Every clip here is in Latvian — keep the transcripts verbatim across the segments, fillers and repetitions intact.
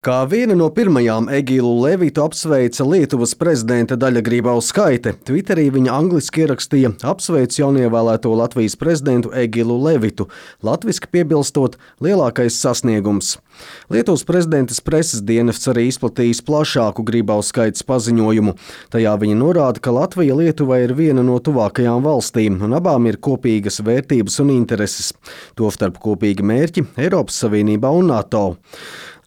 Kā viena no pirmajām Egilu Levitu apsveica Lietuvas prezidente Daļa Grybauskaite, Twitterī viņa angliski ierakstīja: apsveic jaunievēlēto Latvijas prezidentu Egilu Levitu, latviski piebilstot lielākais sasniegums. Lietuvas prezidentes preses dienests arī izplatījis plašāku Grybauskaites paziņojumu. Tajā viņa norāda, ka Latvija Lietuvai ir viena no tuvākajām valstīm un abām ir kopīgas vērtības un intereses, tostarp kopīgi mērķi Eiropas Savienībā un NATO.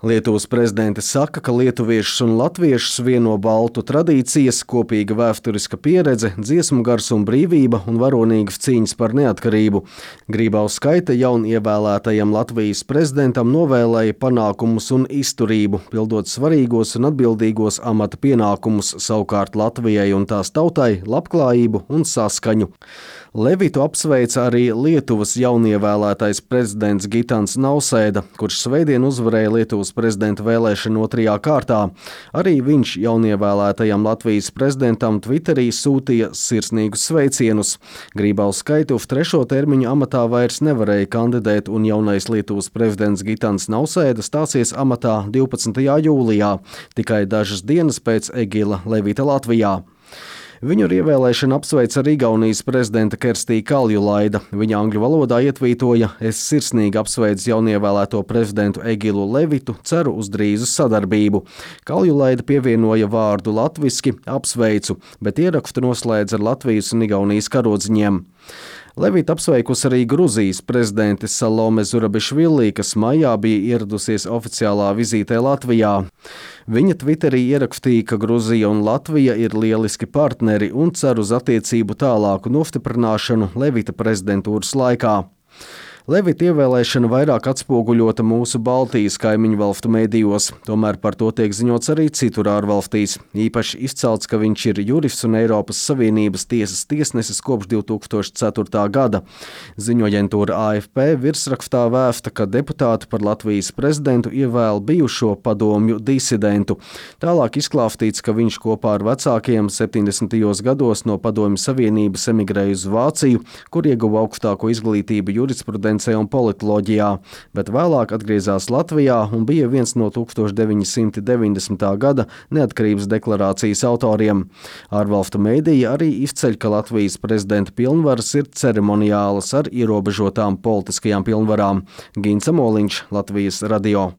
Lietuvas prezidente saka, ka lietuviešus un latviešus vieno baltu tradīcijas, kopīga vēsturiska pieredze, dziesmu gars un brīvība un varonīgas cīņas par neatkarību. Grybauskaite jaunievēlētajam Latvijas prezidentam novēlēja panākumus un izturību, pildot svarīgos un atbildīgos amata pienākumus, savukārt Latvijai un tās tautai labklājību un saskaņu. Levitu apsveica arī Lietuvas jaunievēlētais prezidents Gitans Nausēda, kurš svētdien uzvarēja Lietuvas prezidenta vēlēšanu otrajā kārtā. Arī viņš jaunievēlētajam Latvijas prezidentam Twitterī sūtīja sirsnīgus sveicienus. Grybauskaite uz trešo termiņu amatā vairs nevarēja kandidēt, un jaunais Lietuvas prezidents Gitans Nausēda stāsies amatā divpadsmitajā jūlijā, tikai dažas dienas pēc Egila Levita Latvijā. Viņu ar ievēlēšanu apsveica arī Igaunijas prezidenta Kerstija Kaljulaida. Viņa angļu valodā ietvītoja: es sirsnīgi apsveicu jaunievēlēto prezidentu Egilu Levitu, ceru uz drīzu sadarbību. Kaljulaida pievienoja vārdu latviski apsveicu, bet ierakstu noslēdz ar Latvijas un Igaunijas karodziņiem. Levita apsveikusi arī Gruzijas prezidente Salome Zurabišvili, kas maijā bija ieradusies oficiālā vizītē Latvijā. Viņa Twitterī ierakstīja, ka Gruzija un Latvija ir lieliski partneri un cer uz attiecību tālāku nostiprināšanu Levita prezidentūras laikā. Levita ievēlēšana vairāk atspoguļota mūsu Baltijas kaimiņu valstu medijos, tomēr par to tiek ziņots arī citur ārvalstīs. Īpaši izcelts, ka viņš ir jurists un Eiropas Savienības tiesas tiesnesis kopš divtūkstoš ceturtā gada. Ziņoaģentūra A F P virsrakstā vēsta, ka deputāti par Latvijas prezidentu ievēl bijušo padomju disidentu. Tālāk izklāstīts, ka viņš kopā ar vecākiem septiņdesmitajos gados no Padomju Savienības emigrēja uz Vāciju, kur ieguva augstāko izglītību jurisprudencē un politoloģijā, bet vēlāk atgriezās Latvijā un bija viens no tūkstoš deviņi simti deviņdesmitā gada neatkarības deklarācijas autoriem. Ārvalstu mediji arī izceļ, ka Latvijas prezidenta pilnvaras ir ceremoniālas ar ierobežotām politiskajām pilnvarām. Gins Amoliņš, Latvijas radio.